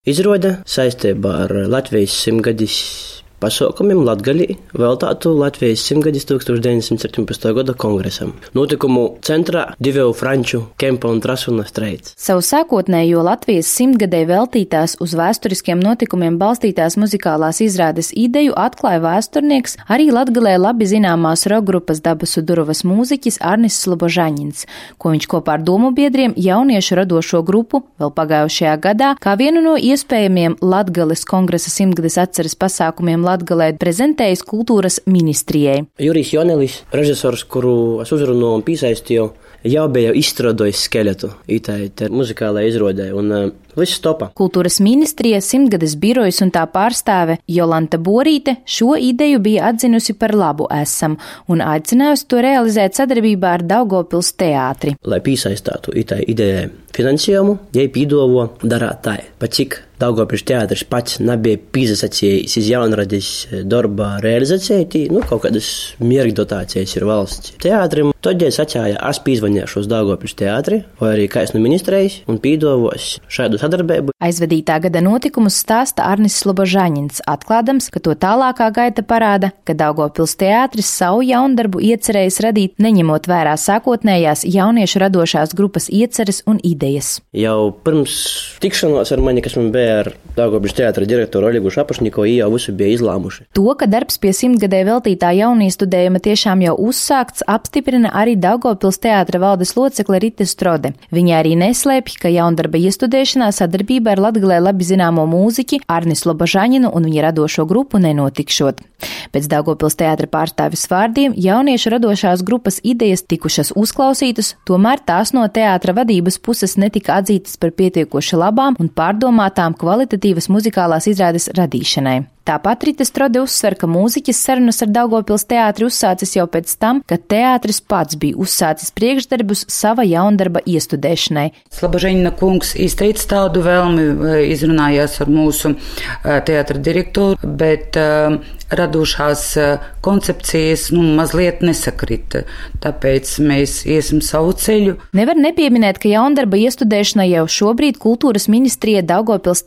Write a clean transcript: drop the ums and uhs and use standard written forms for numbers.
izrode saistībā ar Latvijas 100-gadis pasaukumiem Latgalī veltātu Latvijas 100-gadis 1917. gada kongresam. Notikumu centrā divu franču Kempa un Trasuna streits. Savu sākotnējo Latvijas 100-gadē veltītās uz vēsturiskiem notikumiem balstītās muzikālās izrādes ideju atklāja vēsturnieks, arī Latgalē labi zināmās rokgrupas Dabasu Duruvas mūziķis Arnis Slobožaņins, ko viņš kopā ar domu biedriem jauniešu radošo grupu vēl pagājušajā gadā kā vienu no iespējamiem Latgales kongresa 100-gades atceres pasākumiem Latgalē prezentējis kultūras ministrijai. Jurijs Jonelis, režisors, kuru es uzrunāju un piesaistīju, jau bija izstrādājis skeletu itai muzikālajai izrodē, un viss topā. Kultūras ministrija, 100-gades birojas un tā pārstāve Jolanta Borīte šo ideju bija atzinusi par labu esam un aicinājusi to realizēt sadarbībā ar Daugavpils teātri. Lai piesaistātu itai idejai finansējumu, jai pīdovo darāt tā, pa cik Daugavpils teātris pats nebija pīsasacījis iz jaunradis darba realizācijai, kaut kādas miergdotācijas ir valsts teātrim. Tad jai sacīja, es pīzvanīšu uz Daugavpils teātri, vai arī kāds no ministrijas, un pīdovos šādu sadarbību. Aizvadītā gada notikumus stāsta Arnis Slobožaņins, atklādams, ka to tālākā gaita parāda, ka Daugavpils teātris savu jaundarbu iecerējis radīt, neņemot vērā sākotnējās jauniešu radošās grupas ieceres un idejas. Jau pirms tikšanos ar mani, kas man bija ar Daugavpils teātra direktoru Oļegu Šapušnikovu, jau visu bija izlāmuši. To, ka darbs pie 100-gadē veltītā jauniestudējuma tiešām jau uzsākts, apstiprina arī Daugavpils teātra valdes locekle Rita Strode. Viņa arī neslēpj, ka jaundarba iestudēšanā sadarbība ar Latgalē labi zināmo mūziķi Arnis Slobožaņinu un viņa radošo grupu nenotikšot. Pēc Daugavpils teātra pārstāvis vārdiem jauniešu radošās grupas idejas tikušas uzklausītas, tomēr tās no teātra vadības puses netika atzītas par pietiekoši labām un pārdomātām kvalitatīvas muzikālās izrādes radīšanai. Tāpat Rita Strode uzsver, ka mūziķis sarunas ar Daugavpils teātri uzsācis jau pēc tam, kad teātris pats bija uzsācis priekšdarbus sava jaundarba iestudēšanai. Slobožaņina kungs izteica tādu vēlmi, izrunājās ar mūsu teātra direktoru, bet radošās koncepcijas mazliet nesakrita, tāpēc mēs iesim savu ceļu. Nevar nepieminēt, ka jaundarba iestudēšana jau šobrīd kultūras ministrija Daugavpils